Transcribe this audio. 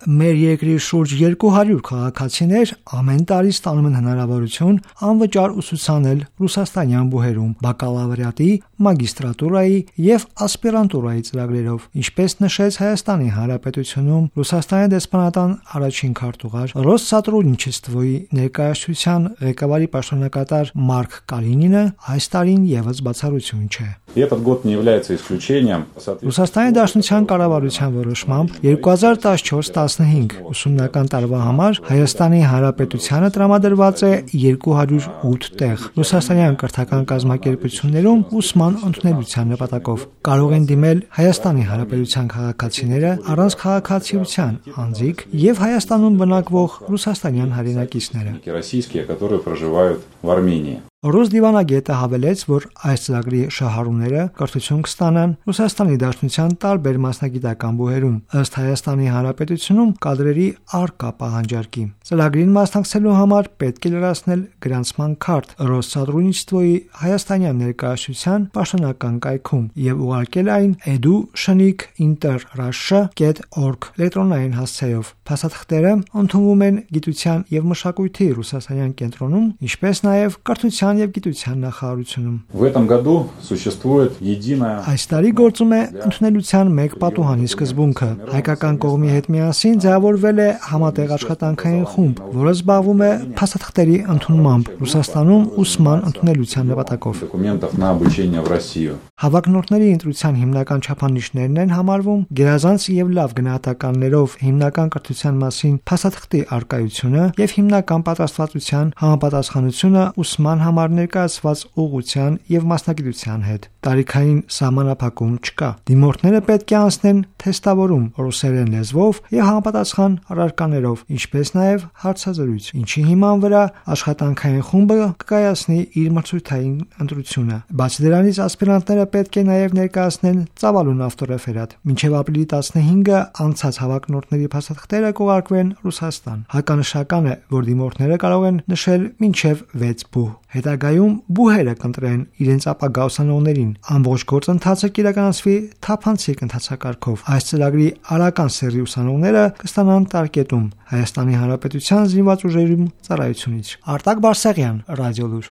Մեր երկրի շուրջ 200 քաղաքացիներ ամեն տարի ստանում են հնարավորություն անվճար ուսուցանել ռուսաստանյան բուհերում բակալավրիատի, մագիստրատուրայի և ասպիրանտուրայի ծրագրերով, ինչպես նշեց Հայաստանի Հանրապետությունում Ռուսաստանի դեսպանատան առաջին քարտուղար Ռոսսատրուդնիչեստվոյի ներկայացության ղեկավարի պաշտոնակատար Մարկ Կալինինը, այս տարին ևս բացառություն չէ։ Ռուսաստանի Դաշնության կառավարության որոշմամբ 2014-15 ուսումնական տարվա համար Հայաստանի Հանրապետությանը տրամադրված է 208 տեղ ռուսաստանյան կրթական կազմակերպություններում ուսման ընդունելության նպատակով։ Կարող են դիմել Հայաստանի Հանրապետության քաղաքացիները, առանց քաղաքացիության անձիկ և Հայաստանում բնակվող ռուսաստանյան հայրենակիցները։ Ռուս դիվանագետը հավելեց, որ այս ծրագրի շահառուները կրթություն կստանան Ռուսաստանի Դաշնության տարբեր մասնագիտական բուհերում, ըստ Հայաստանի Հանրապետությունում կադրերի առկա պահանջարկի։ Ծրագրին մասնակցելու համար պետք է լրացնել գրանցման քարտ Ռոսսատրուդնիչեստվոյի հայաստանյան ներկայացության պաշտոնական կայքում և ուղարկել այն edu.inter.russia.org էլեկտրոնային հասցեով։ Փաստաթղթերը ընդունվում են Գիտության և մշակույթի ռուսաստանյան կենտրոնում, ինչպես նաև Կրթության և գիտության նախարարությունում։ Այս տարի գործում է ընդունելության մեկ պատուհանի սկզբունքը։ Հայկական կողմի հետ միասին ձևավորվել է համատեղ աշխատանքային խումբ, որը զբաղվում է փաստաթղթերի ընդունմամբ Ռուսաստանում ուսման ընդունելության նպատակով։ Հավակնորդների ընտրության հիմնական չափանիշներն են համարվում գերազանց և լավ գնահատականներով հիմնական կրթության մասին փաստաթղթի առկայությունը և հիմնական պատրաստվածության համապատասխանությունը ուսման համար ներկայացված ուղղության և մասնագիտության հետ։ Տարիքային սահմանափակում չկա։ Դիմորդները պետք է անցնեն թեստավորում ռուսերեն լեզվով և համապատասխան առարկաներով, ինչպես նաև հարցազրույց, ինչի հիման վրա աշխատանքային խումբը կկայացնի իր մրցույթային ընտրությունը։ Բացի դրանից, ասպիրանտները պետք է նաև ներկայացնեն ծավալուն ավտորեֆերատ։ Մինչև ապրիլի 15-ը անցած հավակնորդների փաստաթղթերը կուղարկվեն Ռուսաստան։ Հականշական է, որ դիմորդները կարող են նշել մինչև 6 բուհ։ Հետագայում բուհերը կընտրեն իրենց ապագա ուսանողներին։ Ամբողջ գործընթացը կիրականացվի թափանցիկ ընթացակարգով։ Այս ծրագրի արական սեռի ուսանողները կստանան տարկետում Հայաստանի Հանրապետության զինված ուժերում ծառայությունից։ Արտակ Բարսեղյան, Ռադիոլուր։